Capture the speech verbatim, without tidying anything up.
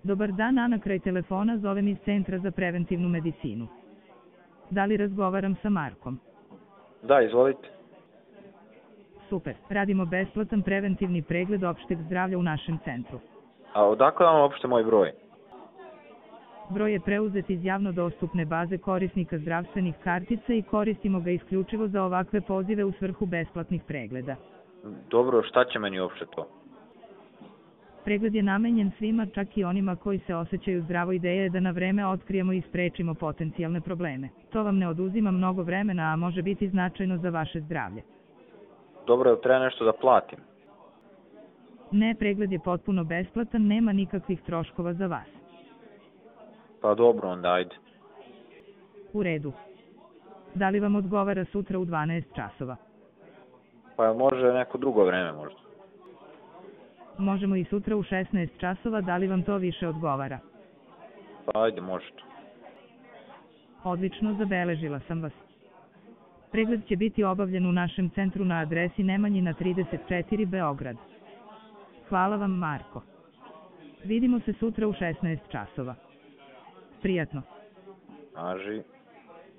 Dobar dan, Ana, kraj telefona zovem iz Centra za preventivnu medicinu. Da li razgovaram sa Markom? Da, izvolite. Super, radimo besplatan preventivni pregled opšteg zdravlja u našem centru. A odakle vam uopšte moj broj? Broj je preuzet iz javno dostupne baze korisnika zdravstvenih kartica i koristimo ga isključivo za ovakve pozive u svrhu besplatnih pregleda. Dobro, šta će meni uopšte to? Pregled je namenjen svima, čak i onima koji se osjećaju zdravo. Ideja je da na vreme otkrijemo i sprečimo potencijalne probleme. To vam ne oduzima mnogo vremena, a može biti značajno za vaše zdravlje. Dobro, jel treba nešto da platim? Ne, pregled je potpuno besplatan, nema nikakvih troškova za vas. Pa dobro, onda ajde. U redu. Da li vam odgovara sutra u dvanaest časova? Pa može neko drugo vreme možda? Možemo i sutra u šesnaest časova, da li vam to više odgovara? Pa ajde, može to. Odlično, zabeležila sam vas. Pregled će biti obavljen u našem centru na adresi Nemanjina trideset četiri, Beograd. Hvala vam, Marko. Vidimo se sutra u šesnaest časova. Prijatno. Važi.